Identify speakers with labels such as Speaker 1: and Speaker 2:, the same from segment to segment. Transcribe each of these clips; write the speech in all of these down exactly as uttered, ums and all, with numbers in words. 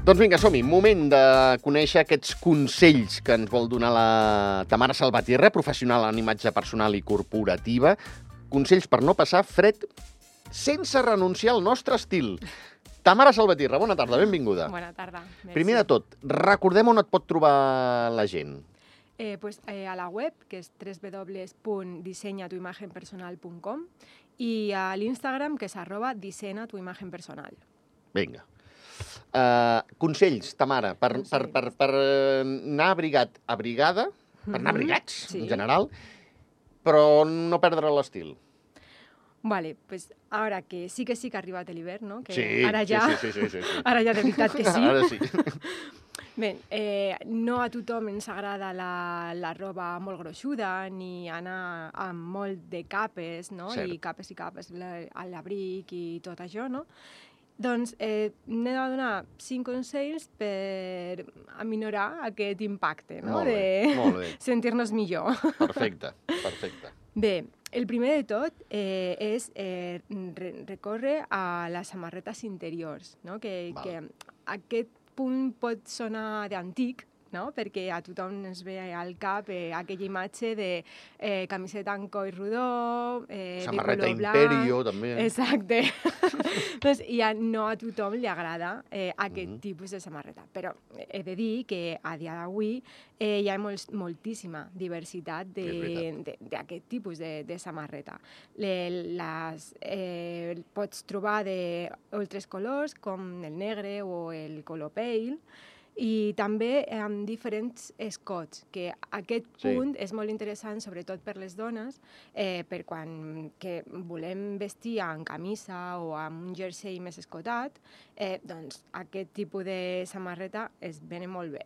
Speaker 1: Doncs vinga, som-hi. Moment de conèixer aquests consells que ens vol donar la Tamara Salvatierra, professional en imatge personal i corporativa. Consells per no passar fred sense renunciar al nostre estil. Tamara Salvatierra, bona tarda, benvinguda.
Speaker 2: Bona tarda. Merci.
Speaker 1: Primer de tot, recordem on et pot trobar la gent.
Speaker 2: Eh, pues, eh, a la web, que és w w w punt dissenya tu imagen personal punt com, i a l'Instagram, que és arroba dissenya tu imagen personal.
Speaker 1: Vinga. Uh, consells, Tamara, per,
Speaker 2: Consells.
Speaker 1: per, per, per anar abrigat, abrigada, per anar abrigats,
Speaker 2: Sí.
Speaker 1: en general, però no perdre l'estil.
Speaker 2: Vale, pues ara que sí que sí que ha arribat l'hivern, no? Que
Speaker 1: Sí,
Speaker 2: ara ja,
Speaker 1: sí, sí, sí, sí, sí.
Speaker 2: ara ja de veritat que sí.
Speaker 1: Ara sí.
Speaker 2: Bé, eh, no a tothom ens agrada la, la roba molt gruixuda ni anar amb molt de capes, no?
Speaker 1: Cert.
Speaker 2: I capes i capes, la- a l'abric i tot això, no? Doncs eh, n'he de donar cinc consells per aminorar aquest impacte, no?
Speaker 1: Molt bé,
Speaker 2: de
Speaker 1: molt bé.
Speaker 2: sentir-nos millor.
Speaker 1: Perfecte, perfecte.
Speaker 2: Bé, el primer de tot eh, és eh, re recórrer a les samarretes interiors, no? Que,
Speaker 1: Val.
Speaker 2: que aquest punt pot sonar d'antic, no? Perquè a tothom ens ve al cap eh, aquella imatge de eh, camiseta en coll rodó, eh,
Speaker 1: Samarreta
Speaker 2: de color blanc...
Speaker 1: Imperio, també.
Speaker 2: Exacte. doncs ja no a tothom li agrada eh, aquest
Speaker 1: Mhm.
Speaker 2: tipus de samarreta. Però he de dir que a dia d'avui eh, hi ha molts, moltíssima diversitat
Speaker 1: És veritat.
Speaker 2: de- de- d'aquest tipus de, de samarreta. Le, les eh, pots trobar d'altres colors, com el negre o el color pale, i també amb diferents escots, que aquest
Speaker 1: Sí.
Speaker 2: punt és molt interessant, sobretot per les dones, eh, per quan que volem vestir en camisa o amb un jersei més escotat, eh, doncs aquest tipus de samarreta es venen molt bé.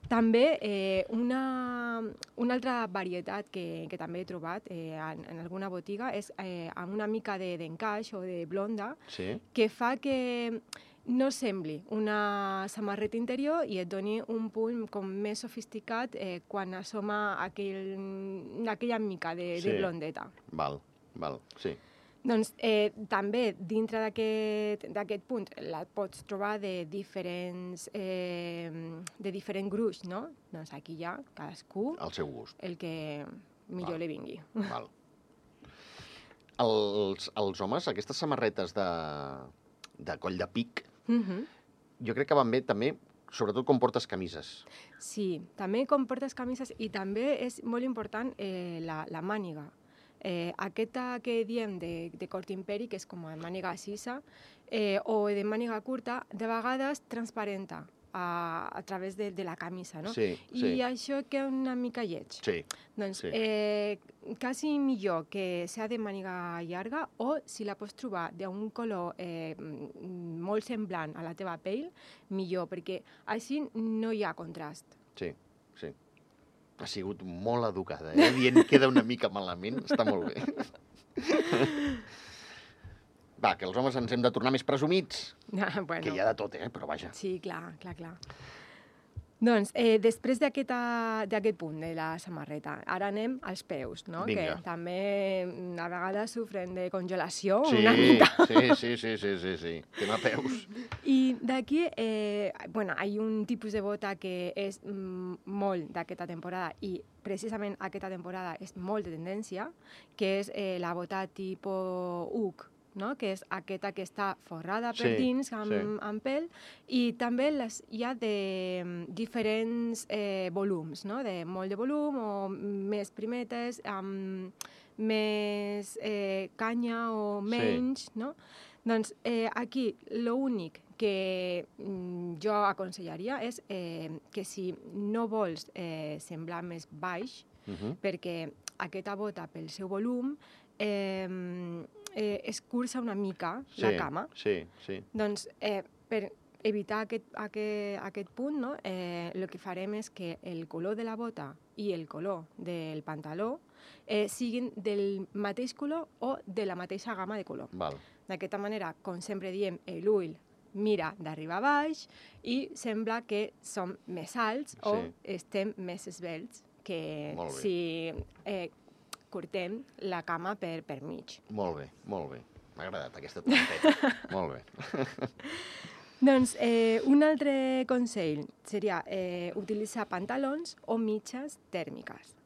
Speaker 2: També eh, una, una altra varietat que, que també he trobat eh, en, en alguna botiga és eh, amb una mica de- d'encaix o de blonda,
Speaker 1: Sí?
Speaker 2: que fa que no sembli una samarreta interior i et doni un punt com més sofisticat eh, quan assoma aquell, aquella mica de,
Speaker 1: Sí.
Speaker 2: de blondeta.
Speaker 1: Val, val, sí.
Speaker 2: Doncs eh, també dintre d'aquest d'aquest punt la pots trobar de diferents, eh, de diferent gruix, no? Doncs aquí hi ha cadascú
Speaker 1: Al seu gust.
Speaker 2: el que millor
Speaker 1: Val.
Speaker 2: li vingui.
Speaker 1: Val. Els, els homes, aquestes samarretes de, de coll de pic,
Speaker 2: Mhm.
Speaker 1: jo crec que van bé també, sobretot quan portes camises.
Speaker 2: Sí, també com portes camises i també és molt important eh, la, la màniga. Eh, aquesta que diem de, de cort imperi, que és com a màniga cisa, eh, o de màniga curta, de vegades transparenta a, a través de, de la camisa, no?
Speaker 1: Sí,
Speaker 2: I
Speaker 1: sí,
Speaker 2: això queda una mica lleig.
Speaker 1: sí.
Speaker 2: Doncs
Speaker 1: sí.
Speaker 2: eh, quasi millor que sigui de màniga llarga o si la pots trobar d'un color eh, mm, molt semblant a la teva pell, millor, perquè així no hi ha contrast.
Speaker 1: Sí, sí. Ha sigut molt educada, eh? Dient queda una mica malament, està molt bé. Va, que els homes ens hem de tornar més presumits,
Speaker 2: bueno,
Speaker 1: que hi ha de tot, eh? Però vaja.
Speaker 2: sí, clar, clar, clar. Doncs, eh, després d'aquesta- d'aquest punt de la samarreta, ara anem als peus, no?
Speaker 1: Vinga.
Speaker 2: Que també mm, a vegades sofren de congelació
Speaker 1: Sí,
Speaker 2: una mica.
Speaker 1: sí, sí, sí, sí, sí, sí. Tema peus.
Speaker 2: I d'aquí, eh, bueno, hi ha un tipus de bota que és mm, molt d'aquesta temporada i precisament aquesta temporada és molt de tendència, que és eh, la bota tipus Ugg, no? Que és aquesta que està forrada per
Speaker 1: Sí,
Speaker 2: dins amb,
Speaker 1: sí.
Speaker 2: amb pèl, i també les, hi ha de mm, diferents eh, volums, no? De molt de volum o més primetes, amb més eh, canya o
Speaker 1: Sí.
Speaker 2: menys, no? Doncs eh, aquí l'únic que mm, jo aconsellaria és eh, que si no vols eh, semblar més baix,
Speaker 1: Uh-huh.
Speaker 2: perquè aquesta bota, pel seu volum, eh, eh, escurça una mica
Speaker 1: Sí,
Speaker 2: la cama.
Speaker 1: sí, sí.
Speaker 2: Doncs eh, per evitar aquest, aquest, aquest punt, no? eh, el que farem és que el color de la bota i el color del pantaló eh, siguin del mateix color o de la mateixa gamma de color.
Speaker 1: Val.
Speaker 2: D'aquesta manera, com sempre diem, l'ull mira d'arribar a baix i sembla que som més alts o
Speaker 1: Sí.
Speaker 2: estem més esvelts que
Speaker 1: Molt bé.
Speaker 2: si eh, cortem la cama per, per mig.
Speaker 1: Molt bé, molt bé. M'ha agradat aquesta trompeta. Molt bé.
Speaker 2: Doncs eh, un altre consell seria eh, utilitzar pantalons o mitges tèrmiques.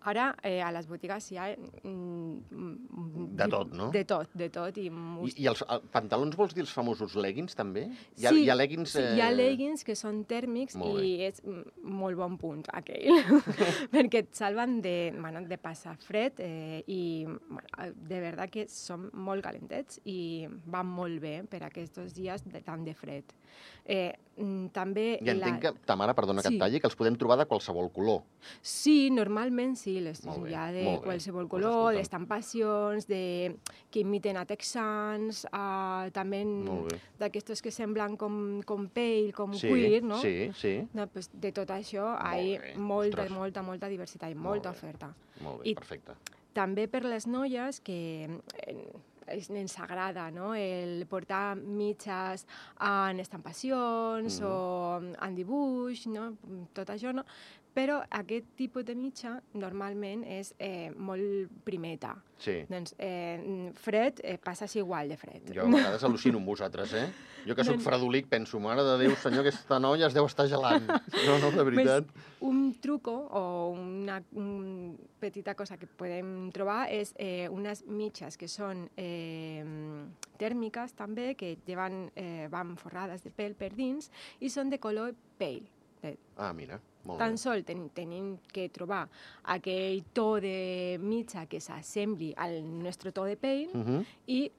Speaker 2: Ara, eh, a les botigues hi ha... Mm,
Speaker 1: de tot, no?
Speaker 2: De tot, de tot. I,
Speaker 1: I, i els el, pantalons vols dir els famosos leggings, també? Hi ha,
Speaker 2: sí,
Speaker 1: hi ha leggings...
Speaker 2: Sí,
Speaker 1: eh...
Speaker 2: hi ha leggings que són tèrmics
Speaker 1: molt
Speaker 2: i és molt bon punt, aquell. Perquè et salven de, bueno, de passar fred eh, i bueno, de veritat que són molt calentets i van molt bé per aquests dies de, tant de fred. Eh, també...
Speaker 1: I entenc
Speaker 2: la...
Speaker 1: que, ta mare, perdona que
Speaker 2: sí.
Speaker 1: et talli, que els podem trobar de qualsevol color.
Speaker 2: Sí, normalment sí, les,
Speaker 1: molt
Speaker 2: hi ha
Speaker 1: bé,
Speaker 2: de
Speaker 1: molt
Speaker 2: qualsevol
Speaker 1: bé.
Speaker 2: color, pues d'estampacions, de, que imiten a texans, uh, també d'aquestos que semblen com, com pell, com
Speaker 1: sí,
Speaker 2: cuir, no?
Speaker 1: Sí, sí.
Speaker 2: No, pues de tot això hi ha molta, Ostres. molta, molta diversitat i molta oferta.
Speaker 1: Molt bé,
Speaker 2: I
Speaker 1: perfecte.
Speaker 2: També per les noies que... Eh, ens agrada, no? El portar mitges en estampacions mm. o en dibuix, no? Tot això, no? Però aquest tipus de mitja normalment és eh, molt primeta.
Speaker 1: Sí.
Speaker 2: Doncs eh, fred, eh, passes igual de fred.
Speaker 1: Jo a vegades al·lucino amb vosaltres, eh? Jo que sóc doncs... fredolic penso, mare de Déu, senyor, aquesta noia es deu estar gelant. No, no, de veritat.
Speaker 2: Pues, un truco o una un petita cosa que podem trobar és eh, unes mitges que són eh, tèrmiques també, que llevan, eh, van forrades de pèl per dins i són de color pale.
Speaker 1: Ah, mira, molt
Speaker 2: Tan
Speaker 1: bé.
Speaker 2: sol ten, tenim que trobar aquell to de mitja que s'assembli al nostre to de pell uh -huh. i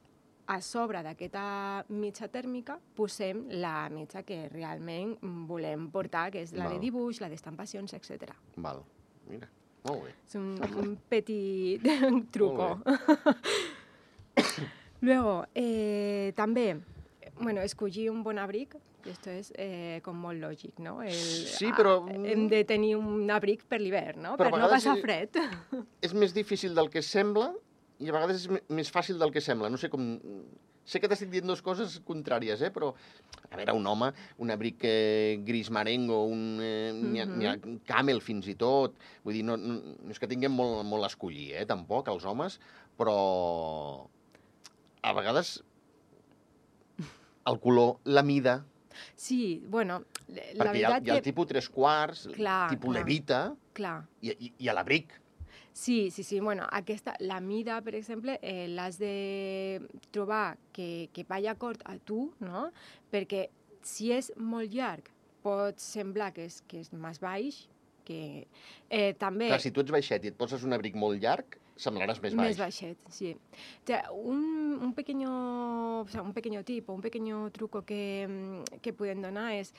Speaker 2: a sobre d'aquesta mitja tèrmica posem la mitja que realment volem portar, que és la Val. de dibuix, la d'estampacions, etcètera.
Speaker 1: Val, mira, molt bé.
Speaker 2: És un, un petit truco. Luego, eh, també, bueno, escollir un bon abric. Esto és eh, com molt lògic, no? El,
Speaker 1: sí, però...
Speaker 2: A, hem de tenir un abric per l'hivern, no? Per no passar fred.
Speaker 1: És més difícil del que sembla i a vegades és més fàcil del que sembla. No sé com... Sé que t'estic dient dues coses contràries, eh? Però, a veure, un home, un abric eh, gris marengo, un, eh, mm -hmm. n'hi ha camel fins i tot. Vull dir, no, no, no és que tinguem molt, molt a escollir, eh? Tampoc, els homes, però a vegades el color, la mida...
Speaker 2: Sí, bueno, la
Speaker 1: Perquè
Speaker 2: veritat
Speaker 1: hi ha, hi ha el
Speaker 2: que...
Speaker 1: tipus tres quarts,
Speaker 2: clar,
Speaker 1: tipus
Speaker 2: clar,
Speaker 1: levita
Speaker 2: clar.
Speaker 1: I, i, i a l'abric.
Speaker 2: Sí, sí, sí. Bueno, aquesta, la mida, per exemple, eh, l'has de trobar que, que vagi acord a tu, no? Perquè si és molt llarg pot semblar que és, que és més baix, que eh, també...
Speaker 1: Clar, si tu ets baixet i et poses un abric molt llarg, semblaràs més baix.
Speaker 2: Més baixet, sí. O sea, un, un, pequeño, o sea, un pequeño tip o un pequeño truco que, que pueden donar és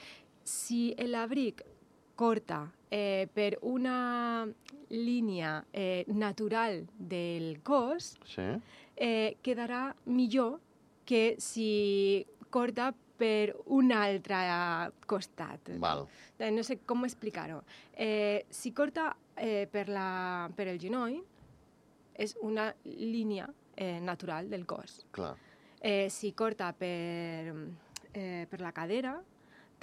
Speaker 2: si l'abric corta eh, per una línia eh, natural del cos,
Speaker 1: sí.
Speaker 2: eh, quedarà millor que si corta per un altre costat.
Speaker 1: Val.
Speaker 2: No sé com explicar-ho. Eh, si corta eh, per, la, per el genoll, és una línia eh, natural del cos.
Speaker 1: Clar.
Speaker 2: Eh, si corta per, eh, per la cadera,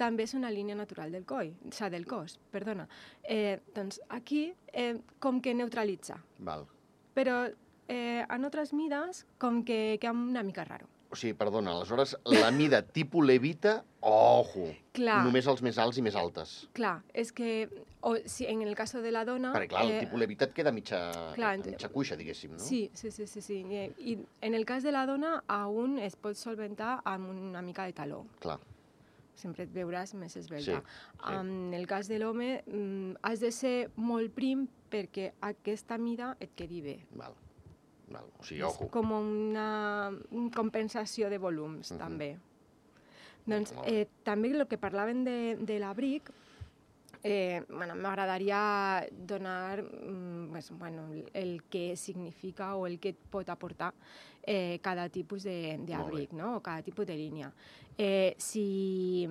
Speaker 2: també és una línia natural del coll, o sigui, del cos, perdona. Eh, doncs aquí, eh, com que neutralitza.
Speaker 1: Val.
Speaker 2: Però eh, en altres mides, com que queda una mica raro.
Speaker 1: O sigui, perdona, aleshores, la mida tipus levita, ojo,
Speaker 2: clar,
Speaker 1: només els més alts i més altes.
Speaker 2: Clar, és que, o, si en el cas de la dona...
Speaker 1: Perquè, clar, el
Speaker 2: eh,
Speaker 1: tipus levita et queda mitja,
Speaker 2: clar,
Speaker 1: mitja cuixa, diguéssim, no?
Speaker 2: Sí, sí, sí, sí, sí. I, I en el cas de la dona, aún es pot solventar amb una mica de taló.
Speaker 1: Clar.
Speaker 2: Sempre et veuràs més esvelta.
Speaker 1: Sí, sí.
Speaker 2: En el cas de l'home, mm, has de ser molt prim perquè aquesta mida et quedi bé.
Speaker 1: Val. Val. O sigui,
Speaker 2: és
Speaker 1: ojo.
Speaker 2: com una, una compensació de volums, uh-huh. també. Doncs eh, també el que parlaven de, de l'abric, eh, bueno, m'agradaria donar mm, pues, bueno, el que significa o el que et pot aportar eh, cada tipus d'abric, no? O cada tipus de línia. Eh, si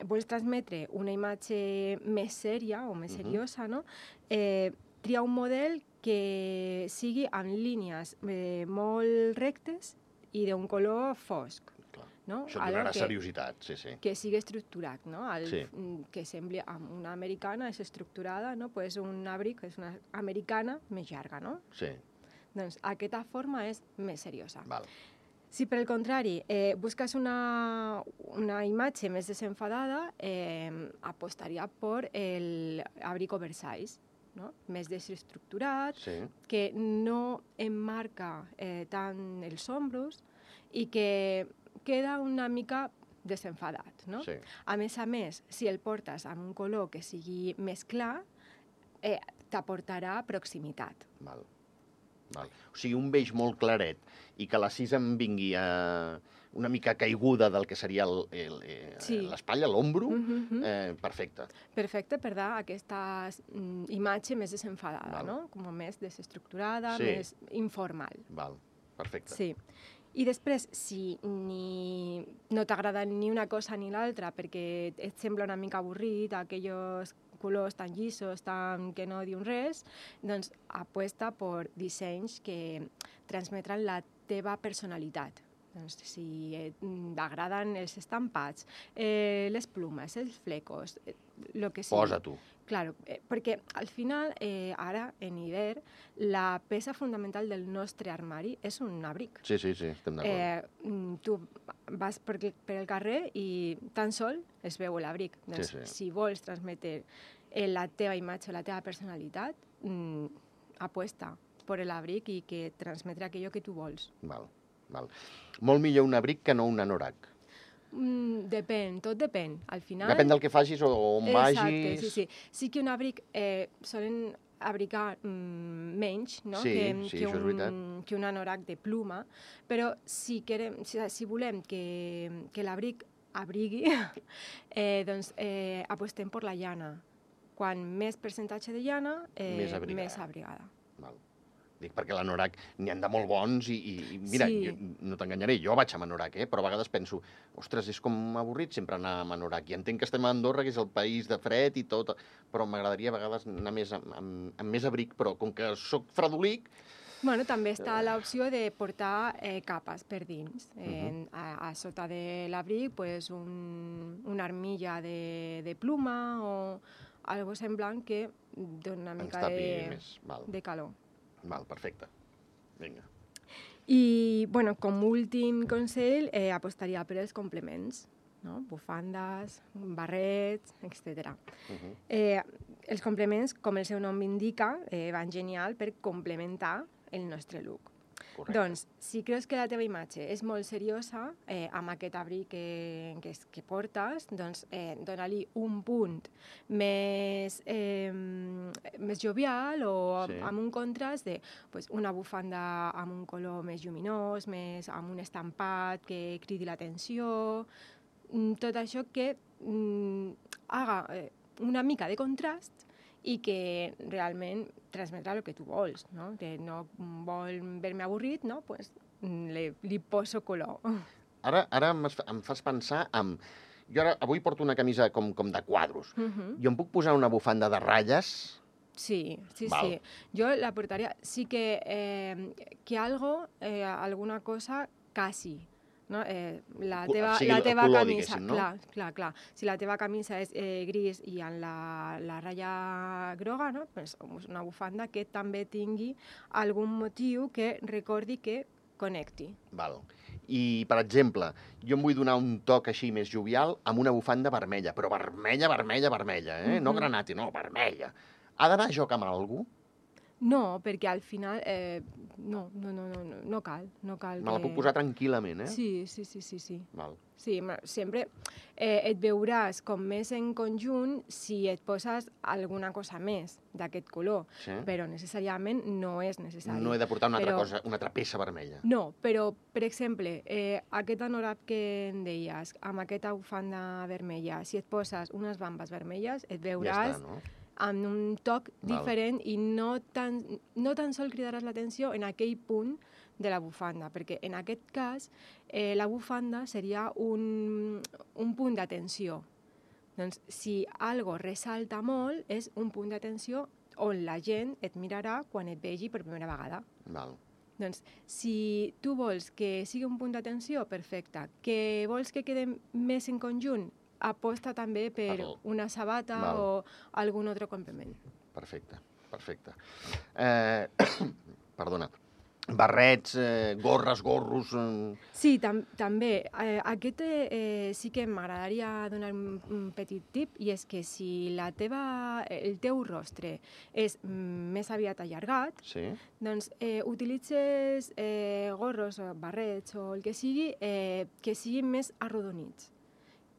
Speaker 2: vols transmetre una imatge més sèria o més seriosa, uh-huh. no? eh, tria un model que sigui amb línies eh, molt rectes i d'un color fosc.
Speaker 1: Clar.
Speaker 2: No?
Speaker 1: Això et donarà seriositat, sí, sí.
Speaker 2: Que sigui estructurat, no? El,
Speaker 1: sí.
Speaker 2: Que sembli una americana és estructurada, no? Pues un abric és una americana més llarga, no?
Speaker 1: Sí.
Speaker 2: Doncs aquesta forma és més seriosa.
Speaker 1: Val.
Speaker 2: Si per el contrari eh, busques una, una imatge més desenfadada, eh, apostaria per l'abric oversize, no? Més desestructurat,
Speaker 1: Sí.
Speaker 2: que no emmarca eh, tant els ombros i que queda una mica desenfadat, no?
Speaker 1: Sí.
Speaker 2: A més a més, si el portes amb un color que sigui més clar, eh, t'aportarà proximitat.
Speaker 1: Val. Val. O sigui, un beix molt claret i que la sis em vingui a una mica caiguda del que seria l'espatlla,
Speaker 2: Sí.
Speaker 1: l'ombro,
Speaker 2: Mhm.
Speaker 1: eh, perfecte.
Speaker 2: Perfecte per dar aquesta mm, imatge més desenfadada,
Speaker 1: Val.
Speaker 2: no? Com més desestructurada,
Speaker 1: Sí.
Speaker 2: més informal.
Speaker 1: Val, perfecte.
Speaker 2: Sí. I després, si ni no t'agrada ni una cosa ni l'altra perquè et sembla una mica avorrit, aquells colors tan llisos, tan que no diuen res, doncs apuesta per dissenys que transmetran la teva personalitat. Doncs si eh, t'agraden els estampats, eh, les plumes, els flecos, eh, lo que sigui.
Speaker 1: Posa tu.
Speaker 2: Claro, eh, perquè al final, eh, ara, en hivern, la peça fundamental del nostre armari és un abric.
Speaker 1: Sí, sí, sí, estem d'acord.
Speaker 2: Eh, mm, tu vas per, per el carrer i tan sol es veu l'abric. Doncs,
Speaker 1: Sí, sí.
Speaker 2: si vols transmetre eh, la teva imatge, la teva personalitat, mm, apuesta per l'abric i que transmetre aquello que tu vols.
Speaker 1: Val, val. Molt millor un abric que no un anorac.
Speaker 2: Mm, depèn, tot depèn. Al final...
Speaker 1: Depèn del que facis o on
Speaker 2: Exacte,
Speaker 1: vagis.
Speaker 2: sí, sí. Sí que un abric eh, solen abrigar mm, menys, no?
Speaker 1: Sí,
Speaker 2: que,
Speaker 1: sí,
Speaker 2: que,
Speaker 1: això és
Speaker 2: un,
Speaker 1: veritat.
Speaker 2: que un anorac de pluma, però si, querem, si, si volem que, que l'abric abrigui, eh, doncs eh, apostem per la llana. Quan més percentatge de llana, eh,
Speaker 1: Més abrigada.
Speaker 2: més abrigada.
Speaker 1: Val. Dic perquè l'anorac n'hi han de molt bons i, i i mira,
Speaker 2: Sí.
Speaker 1: jo, no t'enganyaré, jo vaig amb anorac, eh? Però a vegades penso, ostres, és com avorrit sempre anar amb anorac. I entenc que estem a Andorra, que és el país de fred i tot, però m'agradaria a vegades anar més amb, amb, amb més abric, però com que sóc fredolic,
Speaker 2: Bueno, també està l'opció de portar eh, capes per dins. Eh, a, a sota de l'abric, pues, un, una armilla de, de pluma o algo semblant que dona una
Speaker 1: ens
Speaker 2: mica
Speaker 1: tapi
Speaker 2: de,
Speaker 1: més. Val,
Speaker 2: de calor.
Speaker 1: val, perfecte. Vinga.
Speaker 2: I, bueno, com últim consell, eh, apostaria per els complements, no? Bufandes, barrets, etcètera.
Speaker 1: Uh -huh.
Speaker 2: Eh, els complements, com el seu nom indica, eh, van genial per complementar el nostre look.
Speaker 1: Correcte.
Speaker 2: Doncs, si creus que la teva imatge és molt seriosa, eh, amb aquest abric que, que, que portes, doncs eh, dona-li un punt més, eh, més jovial o
Speaker 1: Sí.
Speaker 2: amb un contrast de pues, una bufanda amb un color més lluminós, més amb un estampat que cridi l'atenció, mm, tot això que mm, haga eh, una mica de contrast i que realment transmetrà el que tu vols, no? Que no vol ver-me avorrit, no? Pues li, li poso color.
Speaker 1: Ara, ara em fa- em fas pensar en... Jo ara, avui porto una camisa com, com de quadros.
Speaker 2: Uh -huh.
Speaker 1: Jo em puc posar una bufanda de ratlles?
Speaker 2: Sí, sí,
Speaker 1: Val.
Speaker 2: sí. Jo la portaria... Sí que, eh, que algo, eh, alguna cosa, casi, no? Eh, la
Speaker 1: Co-
Speaker 2: teva,
Speaker 1: sigui
Speaker 2: la
Speaker 1: el
Speaker 2: teva
Speaker 1: color,
Speaker 2: camisa,
Speaker 1: diguéssim, no?
Speaker 2: clar, clar, clar. Si la teva camisa és eh, gris i amb la, la ratlla groga, no? Pues una bufanda que també tingui algun motiu que recordi que connecti.
Speaker 1: Val. I, per exemple, jo em vull donar un toc així més jovial amb una bufanda vermella, però vermella, vermella, vermella, eh? No
Speaker 2: Mhm.
Speaker 1: granate, no, vermella. Ha d'anar a joc amb algú?
Speaker 2: No, perquè al final eh, no, no, no, no, no, no cal, no cal
Speaker 1: Me la
Speaker 2: que...
Speaker 1: puc posar tranquil·lament, eh?
Speaker 2: Sí, sí, sí, sí, sí.
Speaker 1: Val.
Speaker 2: Sí, ma- sempre eh, et veuràs com més en conjunt si et poses alguna cosa més d'aquest color,
Speaker 1: Sí?
Speaker 2: però necessàriament no és necessari.
Speaker 1: No he de portar una altra
Speaker 2: Però-
Speaker 1: cosa, una altra peça vermella.
Speaker 2: No, però, per exemple, eh, aquest anorac que em deies, amb aquesta bufanda vermella, si et poses unes bambes vermelles, et
Speaker 1: Ja
Speaker 2: veuràs
Speaker 1: està, no?
Speaker 2: amb un toc
Speaker 1: Val.
Speaker 2: diferent i no tan, no tan sol cridaràs l'atenció en aquell punt de la bufanda, perquè en aquest cas eh, la bufanda seria un, un punt d'atenció. Doncs si algo ressalta molt, és un punt d'atenció on la gent et mirarà quan et vegi per primera vegada.
Speaker 1: Val.
Speaker 2: Doncs si tu vols que sigui un punt d'atenció, perfecte. Que vols que quede més en conjunt, aposta també per
Speaker 1: Per-
Speaker 2: una sabata
Speaker 1: Val.
Speaker 2: o algun altre complement.
Speaker 1: Perfecte, perfecte. Eh, perdona. Barrets, eh, gorres, gorros... Eh...
Speaker 2: Sí, tam també. Eh, aquest eh, sí que m'agradaria donar un, un petit tip, i és que si la teva, el teu rostre és més aviat allargat,
Speaker 1: Sí.
Speaker 2: doncs eh, utilitzes eh, gorros o barrets o el que sigui, eh, que siguin més arrodonits,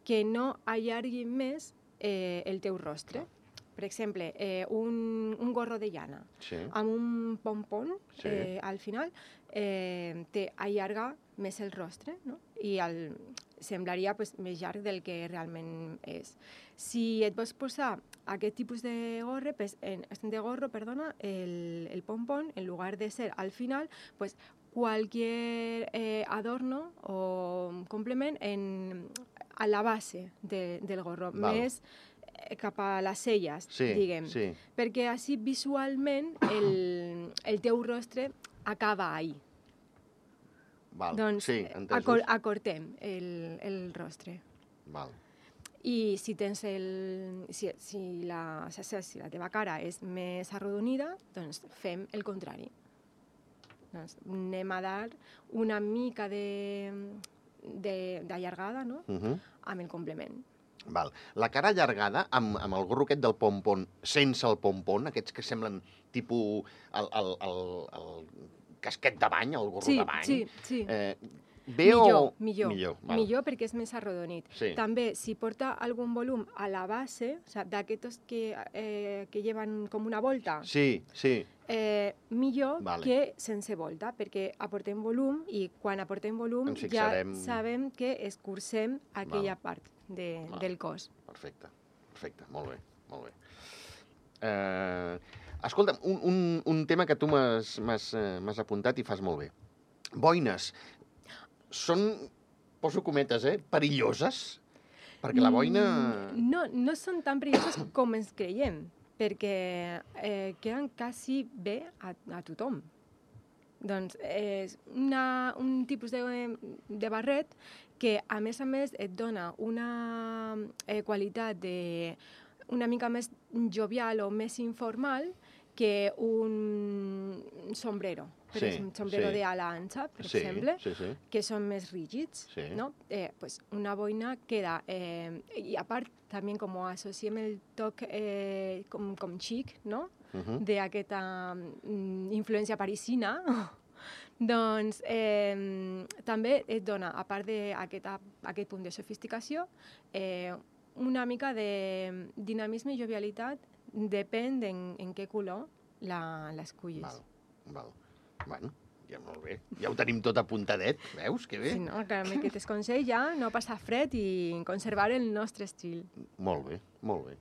Speaker 2: que no allarguin més eh, el teu rostre. Per exemple, eh, un, un gorro de llana
Speaker 1: Sí.
Speaker 2: amb un pompon
Speaker 1: Sí.
Speaker 2: eh, al final eh, té allarga més el rostre, no? I el, semblaria pues, més llarg del que realment és. Si et vols posar aquest tipus de gorre, pues, en, de gorro, perdona, el, el pompon, en lugar de ser al final, pues, cualquier eh, adorno o complement en, a la base de, del gorro,
Speaker 1: Val.
Speaker 2: més cap a les celles,
Speaker 1: Sí,
Speaker 2: diguem.
Speaker 1: sí.
Speaker 2: Perquè així visualment el, el teu rostre acaba ahí.
Speaker 1: Val.
Speaker 2: Doncs
Speaker 1: Sí, entesos.
Speaker 2: acor acortem el, el rostre.
Speaker 1: Val.
Speaker 2: I si tens el... Si, si, la, si la teva cara és més arrodonida, doncs fem el contrari. Doncs anem a dar una mica d'allargada, no?
Speaker 1: Uh -huh.
Speaker 2: Amb el complement.
Speaker 1: Val. La cara allargada, amb, amb el gorro aquest del pompon, sense el pompon, aquests que semblen tipus el, el, el, el casquet de bany, el gorro
Speaker 2: sí,
Speaker 1: de bany.
Speaker 2: Sí, sí.
Speaker 1: Eh, bé
Speaker 2: millor,
Speaker 1: o...
Speaker 2: millor,
Speaker 1: millor, val.
Speaker 2: millor perquè és més arrodonit.
Speaker 1: Sí.
Speaker 2: També, si porta algun volum a la base, o sea, d'aquests que, eh, que llevan com una volta,
Speaker 1: Sí, sí.
Speaker 2: eh, millor
Speaker 1: Vale.
Speaker 2: que sense volta, perquè aportem volum i quan aportem volum
Speaker 1: Ens
Speaker 2: ja
Speaker 1: fixarem-
Speaker 2: sabem que escurcem aquella
Speaker 1: Val.
Speaker 2: part de,
Speaker 1: Val.
Speaker 2: del cos.
Speaker 1: Perfecte, perfecte, molt bé, molt bé. Eh, escolta'm, un, un, un tema que tu m'has m'has, eh, m'has apuntat i fas molt bé. Boines. Són, poso cometes, eh, perilloses? Perquè la boina...
Speaker 2: Mm, No, no són tan perilloses com ens creiem, perquè eh, queden quasi bé a, a tothom. Doncs és una, un tipus de, de barret que, a més a més, et dona una eh, qualitat de, una mica més jovial o més informal que un sombrero. Per
Speaker 1: Sí,
Speaker 2: exemple, un sombrero
Speaker 1: sí.
Speaker 2: de ala ancha, per
Speaker 1: Sí,
Speaker 2: exemple,
Speaker 1: sí, sí.
Speaker 2: que són més rígids,
Speaker 1: Sí.
Speaker 2: no? Eh, pues una boina queda... Eh, I a part, també com ho associem el toc eh, com, com xic, no?
Speaker 1: Uh -huh.
Speaker 2: D'aquesta mm, influència parisina, doncs eh, també et dona, a part d'aquest aquest punt de sofisticació, eh, una mica de dinamisme i jovialitat, depèn en, en què color l'escullis.
Speaker 1: Val, val. Bueno, ja molt bé. Ja ho tenim tot apuntadet, veus? Que bé.
Speaker 2: Sí, no? Que amb aquest consell ja no passar fred i conservar el nostre estil.
Speaker 1: Molt bé, molt bé.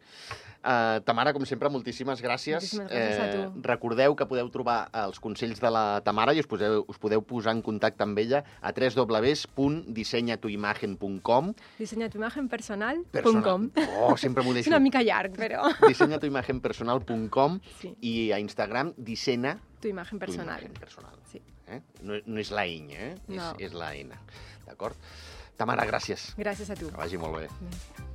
Speaker 1: Uh, Tamara, com sempre, moltíssimes gràcies.
Speaker 2: Moltíssimes gràcies a tu.
Speaker 1: Eh, recordeu que podeu trobar els consells de la Tamara i us podeu, us podeu posar en contacte amb ella a w w w punt disenya tu imagen punt com.
Speaker 2: Disenya tu imagen personal punt
Speaker 1: Personal.
Speaker 2: com.
Speaker 1: Oh, sempre m'ho
Speaker 2: És
Speaker 1: deixo.
Speaker 2: una mica llarg, però...
Speaker 1: disenya tu imagen personal punt com
Speaker 2: Sí.
Speaker 1: i a Instagram dissena
Speaker 2: Tu imagen
Speaker 1: tu
Speaker 2: personal.
Speaker 1: imagen personal.
Speaker 2: Sí.
Speaker 1: Eh? No, no és la ñ, eh?
Speaker 2: No.
Speaker 1: És, és la N. D'acord? Tamara, gràcies.
Speaker 2: Gràcies a tu.
Speaker 1: Que vagi molt bé.
Speaker 2: Bé.